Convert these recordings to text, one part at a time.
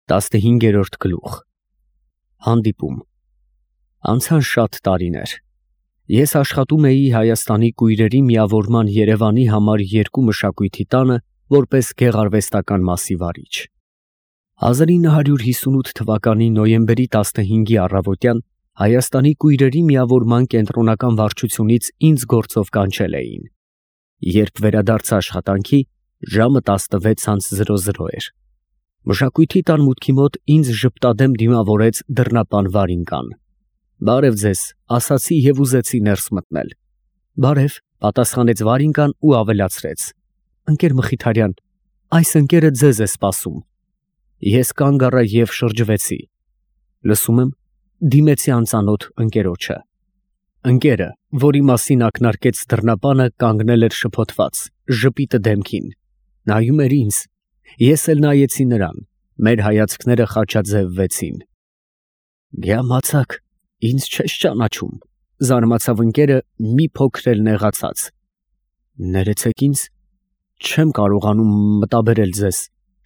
15-րդ գլուխ Հանդիպում Անցան շատ տարիներ։ Ես աշխատում էի Հայաստանի կույրերի միավորման Երևանի համար 2 մշակույթի տանը որպես գեղարվեստական մասի վարիչ։ 1958 թվականի նոյեմբերի 15-ի առավոտյան Հայաստանի կույրերի միավորման կենտրոնական վարչությունից ինձ գործով կանչել էին։ Երբ վերադարձա աշխատանքի, ժամը 16:00 էր։ Մշակույթի տան մուտքի մոտ ինձ ժպտադեմ դիմավորեց դռնապան Վարինկան։ «Բարև ձեզ», ասացի և ուզեցի ներս մտնել։ «Բարև», պատասխանեց Վարինկան ու ավելացրեց. «Ընկեր Մխիթարյան, այս ընկերը ձեզ է սպասում»։ Ես կանգ առա և շրջվեցի։ Լսում եմ, դիմեցի անծանոթ ընկերոջը։ Ընկերը, որի մասին ակնարկեց դռնապանը, կանգնել էր շփոթված, ժպիտը դեմքին։ Նայում էր ինձ, ես էլ նայեցի նրան, մեր հայացքները խաչաձևվեցին։ «Գյամացակ, ինձ չես ճանաչում», զարմացավ ընկերը մի փոքր էլ նեղացած։ «Ներեցեք ինձ, չեմ կարողանում մտաբերել ձեզ»,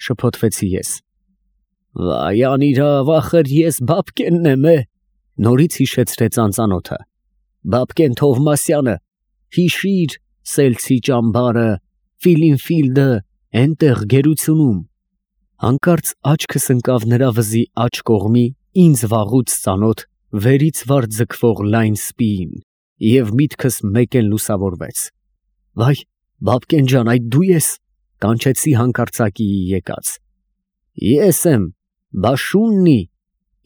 շփոթվեցի ես։ «Վայ անիրավ, ախր ես Բաբկենն եմ, նորից հիշեցրեց անծանոթը։ Բաբկեն Թովմասյանը, հիշիր, Սելցի ճամբարը, Ֆիլինֆիլդը, էնտեղ գերությունում։ Հանկարծ աչքս ընկավ նրա վզի աջ կողմի ինձ վաղուց ծանոթ վերից վար ձգվող լայն սպիին, և միտքս մեկ էլ լուսավորվեց։ Վայ, Բաբկեն ջան, այդ դու ես, կանչեցի հանկարծակիի եկած։ Ես եմ, Բաշուննի,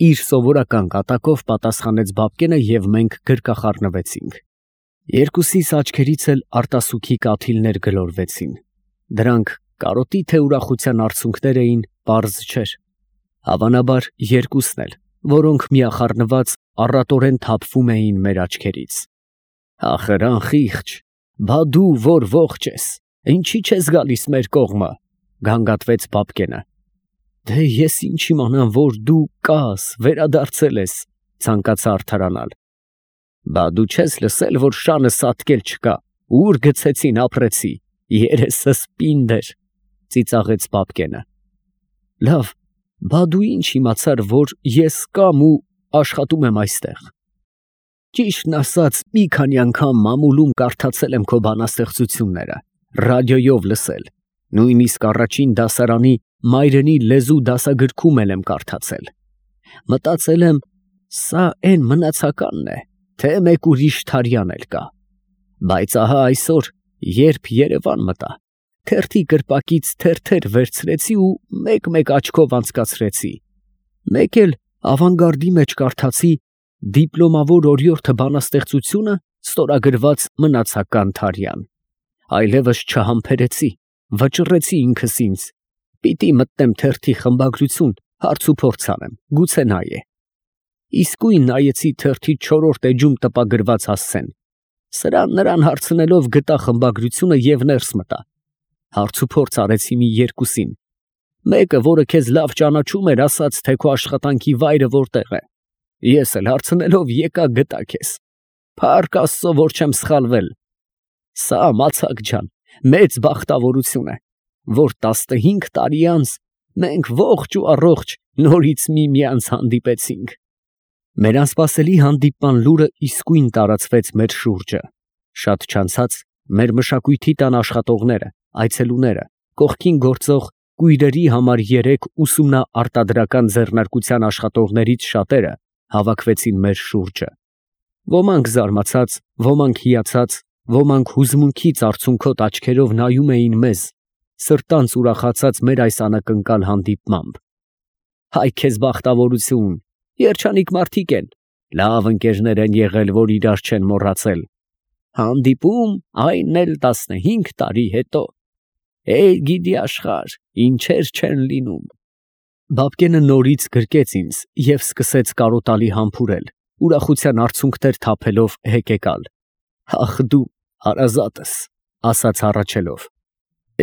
իր սովորական կատակով պատասխանեց Բաբկենը և մենք գրկախառնվեցինք։ Երկուսիս աչքերից էլ արտասուքի կաթիլներ գլորվեցին։ Դրանք կարոտի թե ուրախության արցունքներ էին, պարզ չէր։ Հավանաբար երկուսն էլ, որոնք միախառնված առատորեն թափվում էին մեր աչքերից։ Ախր անխիղճ, բա դու որ ողջ ես, ինչի չես գալիս մեր կողմը, գանգատվեց Բաբկենը։ Դե ես ինչ իմանամ, որ դու կաս, վերադարձել ես, ցանկացա արդարանալ։ Բա դու չես լսել, որ շանը սատկել չկա, ուր գցեցին ապրեցի, երեսս պինդ էր, ծիծաղեց Բաբկենը։ Լավ, բա դու ինչ իմացար, որ ես կամ ու աշխատում եմ այստեղ։ Ճիշտն ասած, մի քանի անգամ մամուլում կարդացել եմ քո բանաստեղծությունները, ռադիոյով լսել, նույնիսկ առաջին դասարանի մայրենի լեզու դասագրքում եմ կարդացել։ Մտածել եմ, սա էն մնացականն է, թե մեկ ուրիշ Թարյան էլ կա։ Բայց ահա այսօր, երբ Երևան մտա, թերթի կրպակից թերթեր վերցրեցի ու մեկ-մեկ աչքով անցկացրեցի։ Մեկ էլ ավանգարդի մեջ կարդացի դիպլոմավոր օրիորդը բանաստեղծությունը ստորագրված մնացական Թարյան։ Այլևս չհամբերեցի, վճռեցի ինքս ինձ։ Պիտի մտնեմ թերթի խմբագրություն, հարց ու փորձ անեմ, գուցե նա է։ Իսկույն նայեցի թերթի 4-րդ էջում տպագրված հասցեն։ Սրան հարցնելով գտա խմբագրությունը և ներս մտա։ Հարց ու փորձ արեցի մի երկուսին։ Մեկը, որը քեզ լավ ճանաչում էր, ասաց, թե քո աշխատանքի վայրը որտեղ է։ Ես էլ հարցնելով եկա գտա քեզ։ Փառք Աստծո, որ չեմ սխալվել։ Սա մացակ ջան, մեծ բախտավորություն է, որ 15 տարի անց մենք ողջ ու առողջ նորից միմյանց հանդիպեցինք։ Մեր անսպասելի հանդիպման լուրը իսկույն տարածվեց մեր շուրջը։ Շատ չանցած մեր մշակույթի տան աշխատողները, այցելուները, կողքին գործող կույրերի համար 3 ուսումնաարտադրական ձեռնարկության աշխատողներից շատերը հավաքվեցին մեր շուրջը։ Ոմանք զարմացած, ոմանք հիացած, ոմանք հուզմունքից արցունքոտ աչքերով նայում էին մեզ, սրտանց ուրախացած մեր այս անակնկալ հանդիպմամբ։ Հայ քեզ բախտավորություն, երջանիկ մարդիկ են, լավ ընկերներ են եղել, որ իրար չեն մոռացել։ Հանդիպում, այն էլ 15 տարի հետո։ Գիդի աշխարհ, ինչեր չեն լինում։ Բաբկենը նորից գրկեց ինձ և սկսեց կարոտալի համբուրել, ուրախության արցունքներ թափելով հեկեկալ։ Ախ դու, հարազատս, ասաց հառաչելով։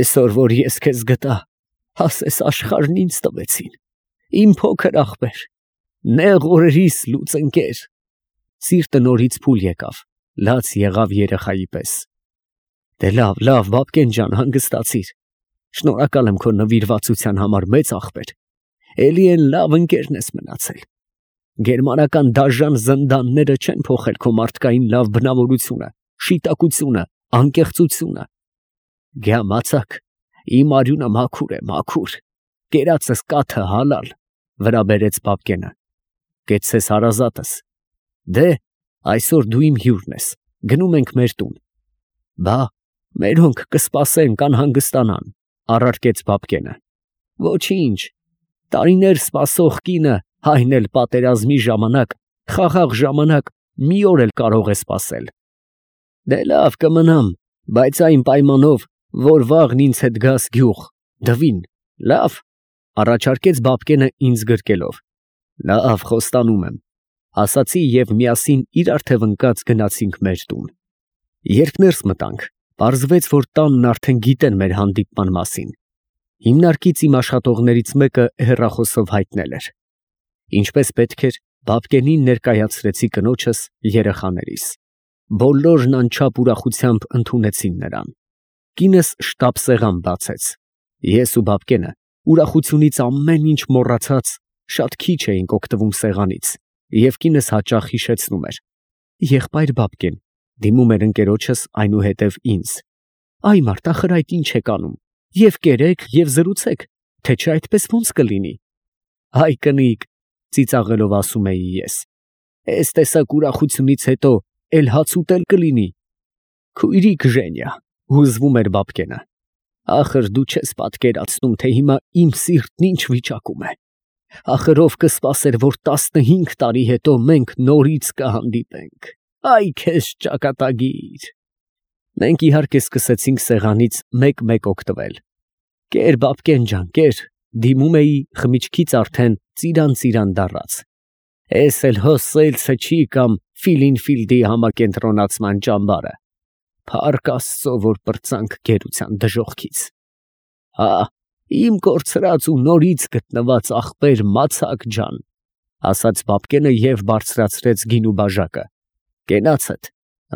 Այսօր, որ ես քեզ գտա, ասես աշխարհն ինձ տվեցին։ Իմ փոքր ախպեր, նեղ օրերիս լուծ ընկեր։ Սիրտը նորից փուլ եկավ, լաց եղավ երեխայի պես։ Դե լավ, Բաբկեն ջան, հանգստացիր։ Շնորհակալ եմ քո նվիրվածության համար, մեծ ախպեր։ էլի են լավ ընկերն ես մնացել։ Գերմանական դաժան զնդանները չեն փոխել քո մարդկային լավ բնավորությունը, շիտակությունը, անկեղծությունը։ Գյամացակ, իմ արյունը մաքուր է, մաքուր, կերածս կաթը հալալ, վրա բերեց Բաբկենը։ Կեցցես հարազատս։ Դե, այսօր դու իմ հյուրն ես, գնում ենք մեր տուն։ Բա, մերոնք կսպասեն, կանհանգստանան, առարկեց Բաբկենը։ Ոչինչ, տարիներ սպասող կինը, այն էլ պատերազմի ժամանակ, խաղաղ ժամանակ, մի օր էլ կարող է սպասել։ Դե լավ կմնամ, բայց այն պայմանով, որ վաղն ինձ հետ գաս գյուղ, դվին, լավ, առաջարկեց Բաբկենը ինձ գրկելով։ Լավ, խոստանում եմ, ասացի և միասին իրար թև ընկած գնացինք մեր տուն։ Երբ ներս մտանք, պարզվեց, որ տանն արդեն գիտեն մեր հանդիպման մասին։ Հիմնարկից իմ աշխատողներից մեկը հեռախոսով հայտնել էր։ Ինչպես պետք էր, Բաբկենին ներկայացրեցի կնոջս, երեխաներիս։ Բոլորն անչափ ուրախությամբ ընդունեցին նրան։ Կինս շտապ սեղան բացեց։ Ես ու Բաբկենը ուրախությունից ամեն ինչ մոռացած շատ քիչ էինք օգտվում սեղանից, և կինս հաճախ հիշեցնում էր. եղբայր Բաբկեն, դիմում էր ընկերոջս այնուհետև ինձ. այ մարդ, ախր այդ ինչ եք անում, և կերեք, և զրուցեք, թե չէ այդպես ո՞նց կլինի։ Այ կնիկ, ծիծաղելով ասում էի ես, էս տեսակ ուրախությունից հետո էլ հաց ուտել կլինի։ Քույրիկ Ժենյա, հուզվում էր Բաբկենը, ախր դու չես պատկերացնում, թե հիմա իմ սիրտն ինչ վիճակում է։ Ախր ով կսպասեր, որ 15 տարի հետո մենք նորից կհանդիպենք։ Այ քեզ ճակատագիր։ Մենք իհարկե սկսեցինք սեղանից մեկ-մեկ օգտվել։ Կեր Բաբկեն ջան, կեր, դիմում էի խմիչքից արդեն ծիրան դառած։ Էս էլ հոսելցը չի կամ Ֆիլինֆիլդի համակենտրոնացման ճամբարը։ Փառք Աստծո, որ պրծանք գերության դժոխքից։ Հա, իմ կորցրած ու նորից գտնված ախպեր Մացակ ջան, ասաց Բաբկենը և բարձրացրեց գինու բաժակը։ Կենացդ,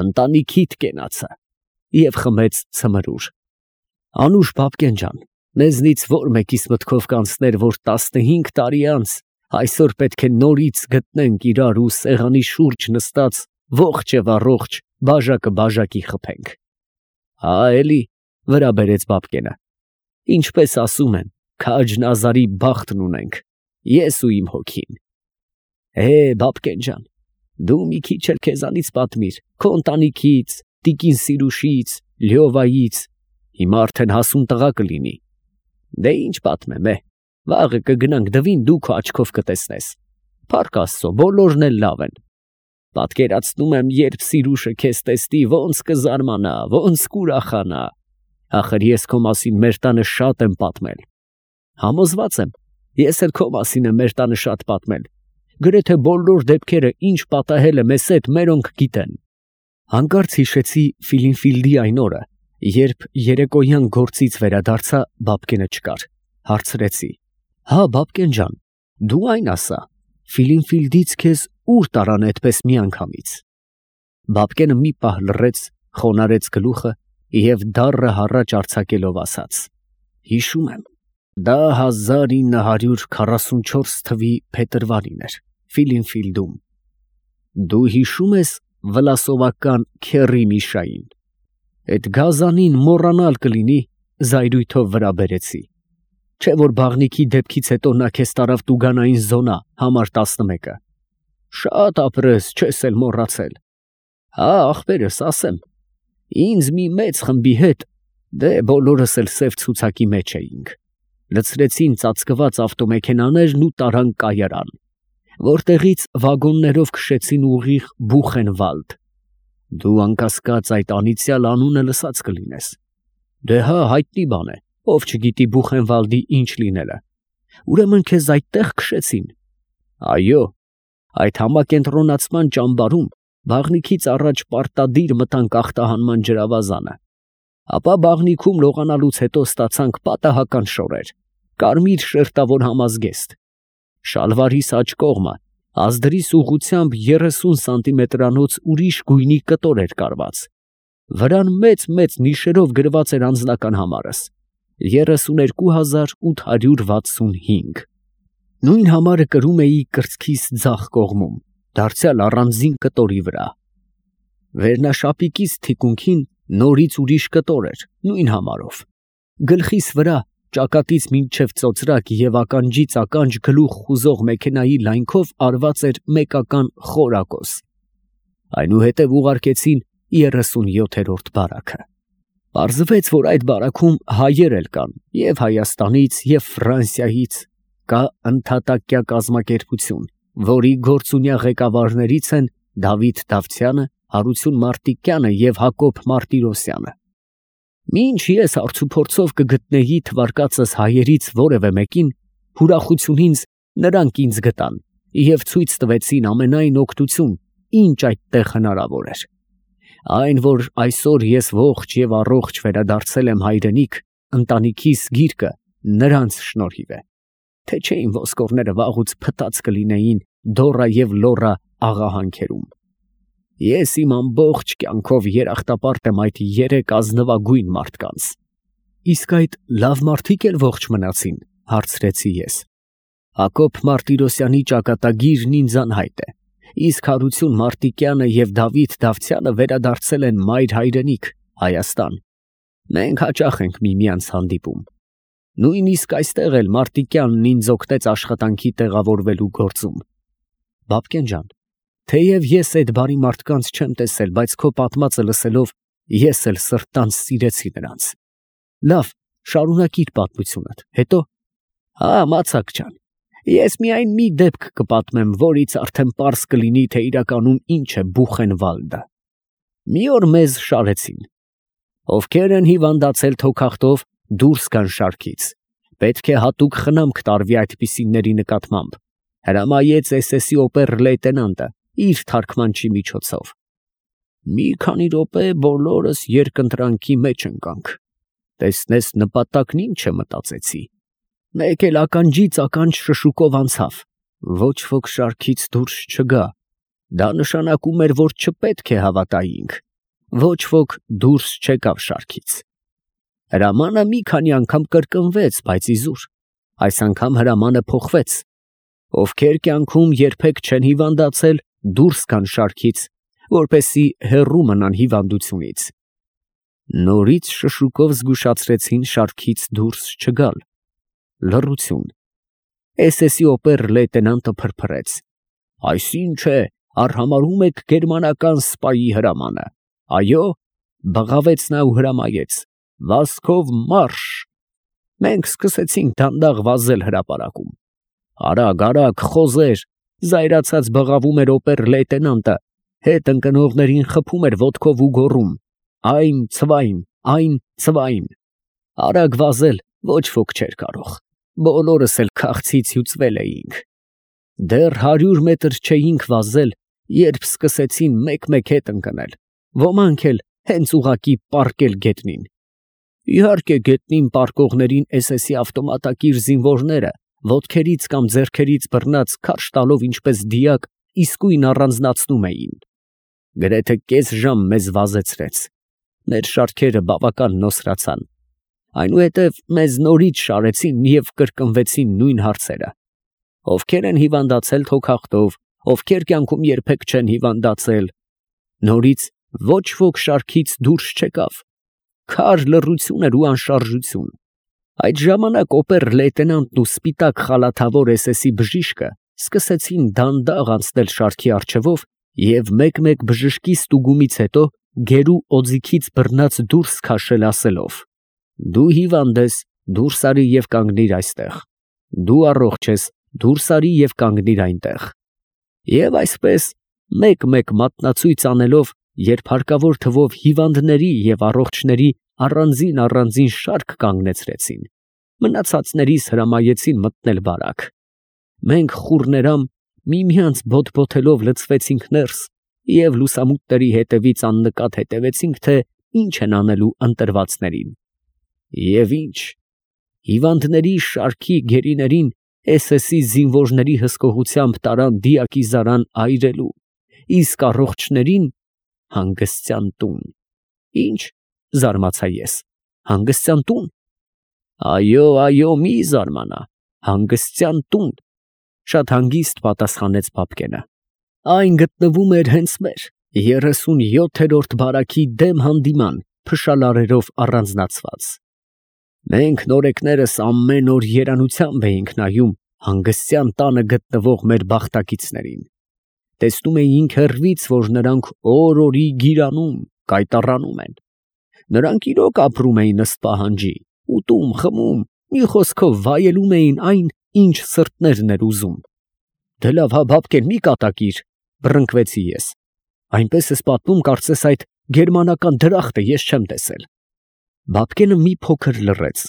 ընտանիքիդ կենացը, և խմեց ցմրուր։ Անուշ Բաբկեն ջան, մեզնից որ մեկիս մտքով կանցներ, որ 15 տարի անց այսօր պետք է նորից գտնենք իրար ու սեղանի շուրջ նստած ողջ և առողջ բաժակը բաժակի խփենք։ Հա էլի, վրա բերեց Բաբկենը, ինչպես ասում են, քաջն ազարի բախտն ունենք, ես ու իմ հոգին։ Բաբկեն ջան, դու մի քիչ էլ քեզանից պատմիր, քո ընտանիքից, տիկին Սիրուշից, Լյովայից, հիմա արդեն հասուն տղա կլինի։ Դե ինչ պատմեմ, վաղը կգնանք դվին, դու քո աչքով կտեսնես։ Փառք Աստծո, բոլորն էլ լավ են։ Պատկերացնում եմ, երբ Սիրուշը քեզ տեսնի, ոնց կզարմանա, ոնց կուրախանա։ Ախր ես քո մասին մեր տանը շատ եմ պատմել։ Համոզված եմ, ես էլ քո մասին եմ մեր տանը շատ պատմել։ Գրեթե բոլոր դեպքերը, ինչ պատահել է մեզ հետ, մերոնք գիտեն։ Հանկարծ հիշեցի Ֆիլինֆիլդի այն օրը, երբ երեկոյան գործից վերադարձա, Բաբկենը չկար։ Հարցրեցի. հա, Բաբկեն ջան, դու այն ասա, Ֆիլինֆիլդից քեզ ուր տարան այդպես միանգամից։ Բաբկենը մի պահ լռեց, խոնարհեց գլուխը և դառը հառաչ արձակելով ասաց. հիշում եմ, դա 1944 թվականի փետրվարին էր, Ֆիլինֆիլդում։ Դու հիշում ես վլասովական Քեռի Միշային։ Էդ գազանին մոռանալ կլինի, զայրույթով վրա բերեցի։ Չէ որ բաղնիքի դեպքից հետո նա քեզ տարավ տուգանային զոնա, համար 11-ը։ Շատ ապրես, չես էլ մոռացել։ Հա, ախպերս, ասեմ, ինձ մի մեծ խմբի հետ, դե բոլորս էլ սև ցուցակի մեջ էինք, լցրեցին ծածկված ավտոմեքենաներն ու տարան կայարան, որտեղից վագոններով քշեցին ուղիղ Բուխենվալդ։ Դու անկասկած այդ անիծյալ անունը լսած կլինես։ Դե հա, հայտնի բան է, ով չգիտի Բուխենվալդի ինչ լինելը։ Ուրեմն քեզ այդտեղ քշեցին։ Այո, այդ համակենտրոնացման ճամբարում բաղնիքից առաջ պարտադիր մտանք ախտահանման ջրավազանը։ Ապա բաղնիքում լողանալուց հետո ստացանք պատահական շորեր, կարմիր շերտավոր համազգեստ։ Շալվարիս աջ կողմը ազդրիս ուղղությամբ 30 սանտիմետրանոց ուրիշ գույնի կտոր էր կարված։ Վրան մեծ նիշերով գրված էր անձնական համարս 32865։ Նույն համարը կրում էի կրծքիս ձախ կողմում, դարձյալ առանձին կտորի վրա։ Վերնաշապիկիս թիկունքին նորից ուրիշ կտոր էր, նույն համարով։ Գլխիս վրա ճակատից մինչև ծոծրակ և ականջից ականջ գլուխ խուզող մեքենայի լայնքով արված էր մեկական խորակոս։ Այնուհետև ուղարկեցին 37-րդ բարաքը։ Պարզվեց, որ այդ բարաքում հայեր էլ կան, և Հայաստանից, և Ֆրանսիայից, կա ընդհատակյա կազմակերպություն, որի գործունյա ղեկավարներից են Դավիթ Դավթյանը, Հարություն Մարտիկյանը և Հակոբ Մարտիրոսյանը։ Մինչ ես հարցուփորձով կգտնեի թվարկածս հայերից որևէ մեկին, ուրախությունից նրանք ինձ գտան և ցույց տվեցին ամենայն օգնություն, ինչ այդտեղ հնարավոր էր։ Այն, որ այսօր ես ողջ և առողջ վերադարձել եմ հայրենիք, ընտանիքիս գիրկը նրանց շնորհիվ է, թե չէին ոսկորները վաղուց փտած կլինեին Դոռա և Լոռա աղահանքերում։ Ես իմ ամբողջ կյանքով երախտապարտ եմ այդ երեք ազնվագույն մարդկանց։ Իսկ այդ լավ մարդիկ էլ ողջ մնացին, հարցրեցի ես։ Հակոբ Մարտիրոսյանի ճակատագիրն ինձ անհայտ է, իսկ Հարություն Մարտիկյանը և Դավիթ Դավթյանը վերադարձել են մայր հայրենիք, Հայաստան։ Մենք հաճախ ենք միմյանց հանդիպում։ Նույնիսկ այստեղ էլ Մարտիկյանն ինձ օգնեց աշխատանքի տեղավորվելու գործում։ Բաբկեն ջան, թեև ես այդ բարի մարդկանց չեմ տեսել, բայց քո պատմածը լսելով ես էլ սրտանց սիրեցի նրանց։ Լավ, շարունակիր պատմությունդ, հետո։ Մացակ ջան, ես միայն մի դեպք կպատմեմ, որից արդեն պարզ կլինի, թե իրականում ինչ է Բուխենվալդը։ Մի օր մեզ շարեցին։ Ովքեր են հիվանդացել թոքախտով, դուրս գան շարքից։ Պետք է հատուկ խնամք տարվի այդպիսիների նկատմամբ, հրամայեց SS-ի օբեր֊լեյտենանտը իր թարգմանչի միջոցով։ Մի քանի րոպե բոլորս երկընտրանքի մեջ ընկանք։ Տեսնես նպատակն ինչ է, մտածեցի։ Մեկ էլ ականջից ականջ շշուկով անցավ։ Ոչ ոք շարքից դուրս չգա։ Դա նշանակում էր, որ չպետք է հավատայինք։ Ոչ ոք դուրս չեկավ շարքից։ Հրամանը մի քանի անգամ կրկնվեց, բայց իզուր։ Այս անգամ հրամանը փոխվեց։ Ովքեր կյանքում երբեք չեն հիվանդացել, դուրս գան շարքից, որպեսզի հեռու մնան հիվանդությունից։ Նորից շշուկով զգուշացրեցին շարքից դուրս չգալ։ Լռություն։ SS-ի օբեր֊լեյտենանտը փրփրեց. Այսինչ է, արհամարհում եք գերմանական սպայի հրամանը։ Այո, բղավեց նա ու հրամայեց. Վազքով մարշ։ Մենք սկսեցինք դանդաղ վազել հրապարակում։ Արագ, արագ, խոզեր, զայրացած բղավում էր օբեր֊լեյտենանտը, հետ ընկնողներին խփում էր ոտքով ու գոռում. Այն ցվայն, այն ցվայն։ Արագ վազել ոչ ոք չէր կարող։ Բոլորս էլ քաղցից հյուծվել էինք։ Դեռ 100 մետր չէինք վազել, երբ սկսեցին մեկ-մեկ հետ ընկնել, ոմանք էլ հենց ուղղակի պառկել գետնին։ Իհարկե, գետնին պառկողներին SS-ի ավտոմատակիր զինվորները ոտքերից կամ ձեռքերից բռնած քարշ տալով ինչպես դիակ իսկույն առանձնացնում էին։ Գրեթե կես ժամ մեզ վազեցրեց։ Մեր շարքերը բավական նոսրացան։ Այնուհետև մեզ նորից շարեցին և կրկնվեցին նույն հարցերը. ովքեր են հիվանդացել թոքախտով, ովքեր կյանքում երբեք չեն հիվանդացել։ Նորից ոչ ոք շարքից դուրս չեկավ։ Քար լռություն էր ու անշարժություն։ Այդ ժամանակ օբեր-լեյտենանտն ու սպիտակ խալաթավոր SS-ի բժիշկը սկսեցին դանդաղ անցնել շարքի առջևով և մեկ-մեկ բժշկի ստուգումից հետո գերու օձիքից բռնած դուրս քաշել ասելով. Դու հիվանդ ես, դուրս արի և կանգնիր այստեղ։ Դու առողջ ես, դուրս արի և կանգնիր այնտեղ։ Եվ այսպես մեկ-մեկ մատնացույց անելով, երբ հարկավոր թվով հիվանդների և առողջների առանձին շարք կանգնեցրեցին, մնացածներիս հրամայեցին մտնել բարակ։ Մենք խուռներամ միմյանց բոթբոթելով լցվեցինք ներս և լուսամուտների հետևից աննկատ հետևեցինք, թե ինչ են անելու ընտրվածներին։ Եվ ինչ, հիվանդների շարքի գերիներին SS-ի զինվորների հսկողությամբ տարան դիակիզարան այրելու, իսկ առողջներին հանգստյան տուն։ Ինչ, զարմացա ես, հանգստյան տուն։ Այո, այո, մի զարմանա, հանգստյան տուն, Շատ հանգիստ պատասխանեց Բաբկենը։ Այն գտնվում էր հենց մեր 37-րդ բարաքի դեմ հանդիման փշալարերով առանձնացված։ Մենք նորեկներս ամեն օր երանությամբ էինք նայում հանգստյան տանը գտնվող մեր բախտակիցներին։ Տեսնում էինք հեռվից, որ նրանք օր-օրի գիրանում, կայտառանում են։ Նրանք իրոք ապրում էին ըստ պահանջի, ուտում, խմում, մի խոսքով վայելում էին այն, ինչ սրտներն էր ուզում։ Դե լավ, հա, Բաբկեն, մի կատակիր, բռնկվեցի ես։ Այնպես ես պատմում, կարծես այդ գերմանական դրախտը ես չեմ տեսել։ Բաբկենը մի փոքր լռեց,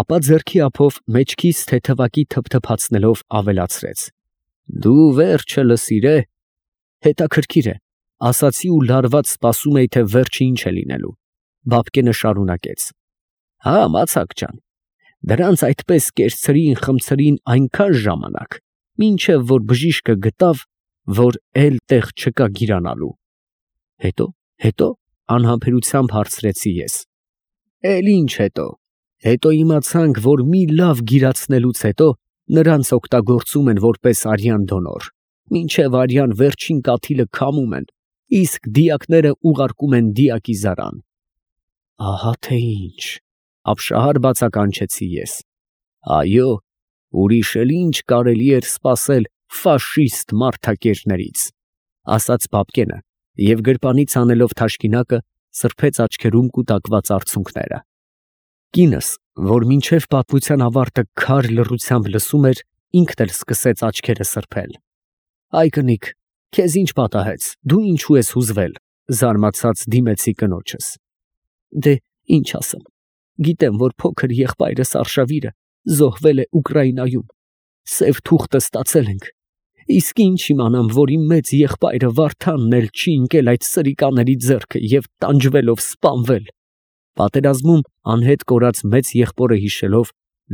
ապա ձեռքի ափով մեջքից թեթևակի թփթփացնելով ավելացրեց. Դու վերջը լսիր է, հետաքրքիր է, ասացի ու լարված սպասում էի, թե վերջը ինչ է լինելու։ Բաբկենը շարունակեց. հա, մացակ ջան, դրանց այդպես կերցրին, խմցրին այնքան ժամանակ, մինչև որ բժիշկը գտավ, որ էլ տեղ չկա գիրանալու։ Հետո անհամբերությամբ հարցրեցի ես. էլ ինչ հետո։ Հետո իմացանք, որ մի լավ գիրացնելուց հետո նրանց օգտագործում են որպես արյան դոնոր, մինչև արյան վերջին կաթիլը քամում են, իսկ դիակները ուղարկում են դիակիզարան։ Ահա թե ինչ, ապշահար բացականչեցի ես։ Այո, ուրիշ էլ ինչ կարելի էր սպասել ֆաշիստ մարդակերներից, ասաց Բաբկենը և գրպանից անելով թաշկինակը սրբեց աչքերում կուտակված արցունքները։ Կինս, որ մինչև պատմության ավարտը քար լռությամբ լսում էր, ինքն էլ սկսեց աչքերը սրբել։ Այ կնիկ, քեզ ինչ պատահեց, դու ինչու ես հուզվել, զարմացած դիմեցի կնոջս։ Դե ինչ ասեմ, գիտեմ, որ փոքր եղբայրս Արշավիրը զոհվել է Ուկրաինայում, սև թուղթը ստացել ենք, իսկ ինչ իմանամ, որ իմ մեծ եղբայրը Վարդանն էլ չի ընկել այդ սրիկաների ձեռքը և տանջվելով սպանվել։ Պատերազմում անհետ կորած մեծ եղբորը հիշելով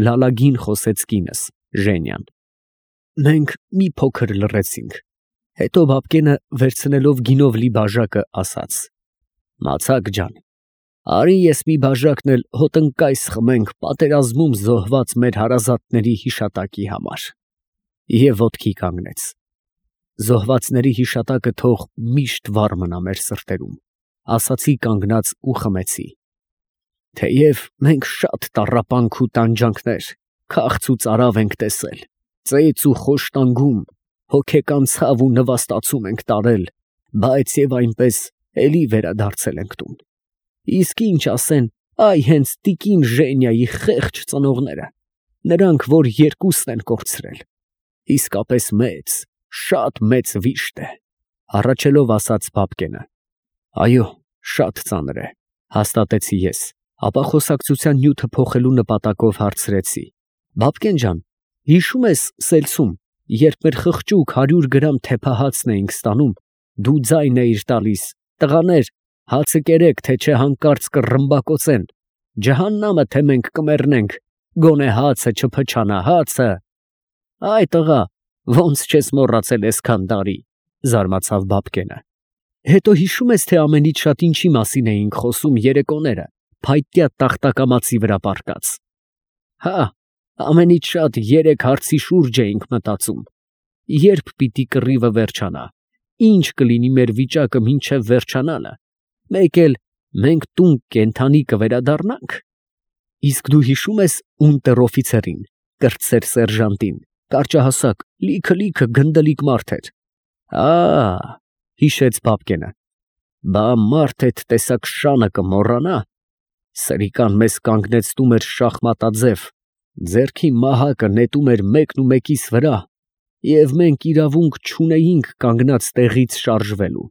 լալագին խոսեց կինս, Ժենյան։ Մենք մի փոքր լռեցինք, հետո Բաբկենը վերցնելով գինով լի բաժակը ասաց. Մացակ ջան, արի ես մի բաժակն էլ հոտնկայս խմենք պատերազմում զոհված մեր հարազատների հիշատակի համար։ Եվ ոտքի կանգնեց։ Զոհվածների հիշատակը թող միշտ վառ մնա մեր սրտերում, ասացի կանգնած ու խմեցի։ Թեև մենք շատ տառապանք ու տանջանքներ, քաղց ու ծարավ ենք տեսել, ծեծ ու խոշտանգում, հոգեկան ցավ ու նվաստացում ենք տարել, բայց եւ այնպես էլի վերադարձել ենք տուն։ Իսկ ինչ ասեն այ հենց տիկին Ժենյայի խեղճ ծնողները, նրանք, որ երկուսն են կորցրել։ Իսկապես մեծ, շատ մեծ վիշտ է, հառաչելով ասաց Բաբկենը։ Այո, շատ ծանր է, հաստատեցի ես, ապա խոսակցության նյութը փոխելու նպատակով հարցրեցի. Բաբկեն ջան, հիշում ես սելցում, երբ մեր խղճուկ 100 գրամ թեփահացն էինք ստանում, դու ձայն էիր տալիս, տղաներ, հացը կերեք, թե չէ հանկարծ կռմբակոծեն, ջհաննամը թե մենք կմեռնենք, գոնե հացը չփչանա, հացը։ Այ տղա, ոնց չես մոռացել այսքան տարի, զարմացավ Բաբկենը։ Հետո հիշում ես, թե ամենից շատ ինչի մասին էինք խոսում երեկոները, փայտյա տախտակամածի վրա պառկած։ Հա, ամենից շատ 3 հարցի շուրջ էինք մտածում. երբ պիտի կռիվը վերջանա, ինչ կլինի մեր վիճակը մինչև վերջանալը, մեկ էլ մենք տուն կենդանի կվերադառնանք։ Իսկ դու հիշում ես ունտեր-օֆիցերին, կրտսեր սերժանտին, կարճահասակ, լիքը գնդլիկ մարդ էր։ Հիշեց Բաբկենը։ Բա մարդ այդ տեսակ շանը կմոռանա։ Սրիկան մեզ կանգնեցնում էր շախմատաձև, ձեռքի մահակը նետում էր մեկն ու մեկիս վրա, և մենք իրավունք չունեինք կանգնած տեղից շարժվելու։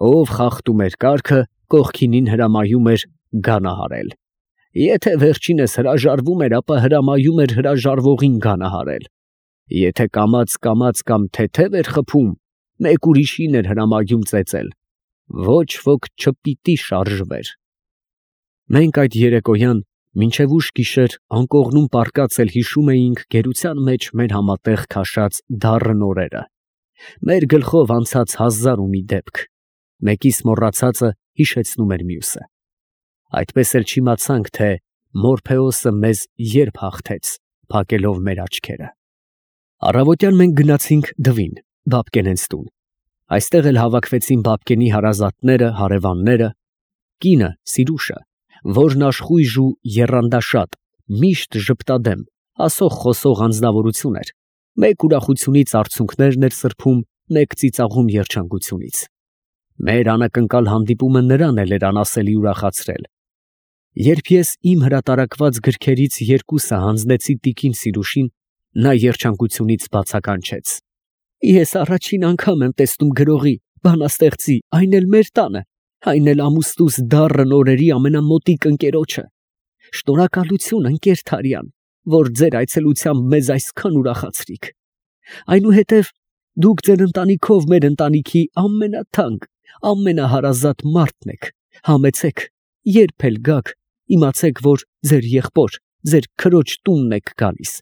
Ով խախտում էր կարգը, կողքինին հրամայում էր գանահարել։ Եթե վերջինս հրաժարվում էր, ապա հրամայում էր հրաժարվողին գանահարել։ Եթե կամաց կամ թեթև էր խփում, մեկ ուրիշին էր հրամայում ծեծել։ Ոչ ոք չպիտի շարժվեր։ Մենք այդ երեկոյան մինչև ուշ գիշեր անկողնում պառկած էլ հիշում էինք գերության մեջ մեր համատեղ քաշած դառն օրերը։ Մեր գլխով անցած 1000 ու մի դեպք, մեկիս մոռացածը հիշեցնում էր մյուսը։ Այդպես էլ չիմացանք, թե Մորփեոսը մեզ երբ հաղթեց, փակելով մեր աչքերը։ Առավոտյան մենք գնացինք Դվին, Բաբկենենց տուն։ Այստեղ էլ հավաքվեցին Բաբկենի հարազատները, հարևանները, կինը Սիրուշը, որն աշխույժ ու եռանդաշատ, միշտ ժպտադեմ, ասող խոսող անձնավորություն էր, մեկ ուրախությունից արցունքներն էր սրբում, մեկ ծիծաղում երջանկությունից։ Մեր անակնկալ հանդիպումը նրան էլ էր անասելի ուրախացրել։ Երբ ես իմ հրատարակված գրքերից երկուսը հանձնեցի տիկին Սիրուշին, նա երջանկությունից բացականչեց. «Ես առաջին անգամ եմ տեսնում գրողի, բանաստեղծի, այն էլ մեր տանը, այն էլ ամուսնուս դառն օրերի ամենամոտիկ ընկերոջը։ Շնորհակալություն, ընկեր Թարյան, որ ձեր այցելությամբ մեզ այսքան ուրախացրիք։ Այնուհետև դուք ձեր ընտանիքով մեր ընտանիքի ամենաթանկ, ամենահարազատ մարդն եք, համեցեք, երբ էլ գաք, իմացեք, որ ձեր եղբոր, ձեր քրոջ տունն եք գալիս,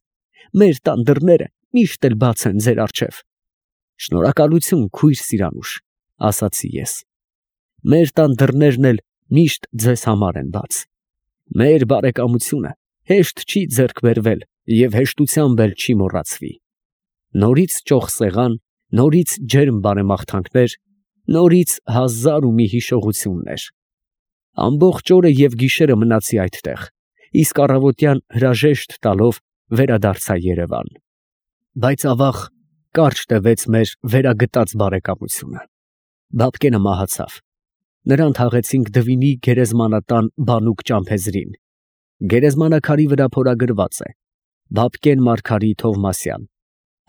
մեր տան դռները միշտ էլ բաց են ձեր առջև»։ «Շնորհակալություն, քույր Սիրանուշ», ասացի ես։ «Մեր տան դռներն էլ միշտ ձեզ համար են բաց։ Մեր բարեկամությունը հեշտ չի ձեռք բերվել և հեշտությամբ էլ չի մոռացվի։ Նորից ճոխ սեղան, նորից ջերմ բարեմաղթանքներ, նորից հազար ու մի հիշողություններ։ Ամբողջ օրը և գիշերը մնացի այդտեղ, իսկ առավոտյան հրաժեշտ տալով վերադարձա Երևան։ Բայց ավաղ կարճ տևեց մեր վերագտած բարեկամությունը։ Բաբկենը մահացավ։ Նրան թաղեցինք Դվինի գերեզմանատան բանուկ ճամփեզրին։ Գերեզմանակարի վրա փորագրված է. Բաբկեն Մարգարի Թովմասյան,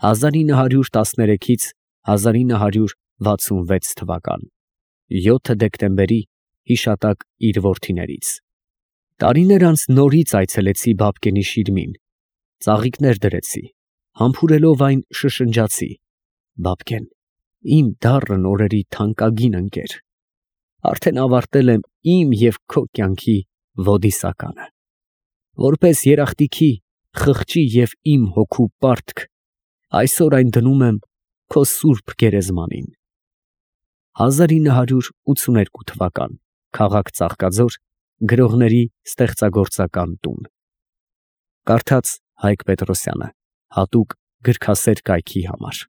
1913-ից 1966 թվական, 7 դեկտեմբերի հիշատակ իր որդիներից։ Տարիներ անց նորից այցելեցի Բաբկենի շիրմին, ծաղիկներ դրեցի, համբուրելով այն շշնջացի. «Բաբկեն, իմ դառն օրերի թանկագին ընկեր, արդեն ավարտել եմ իմ և քո կյանքի ոդիսականը։ Որպես երախտիքի, խղճի և իմ հոգու պարտք, այսօր այն դնում եմ քո սուրբ գերեզմանին»։ 1982 թվական, քաղաք Ծաղկաձոր, Գրողների ստեղծագործական տուն։ Կարդաց Հայկ Պետրոսյանը, հատուկ գրքասեր կայքի համար։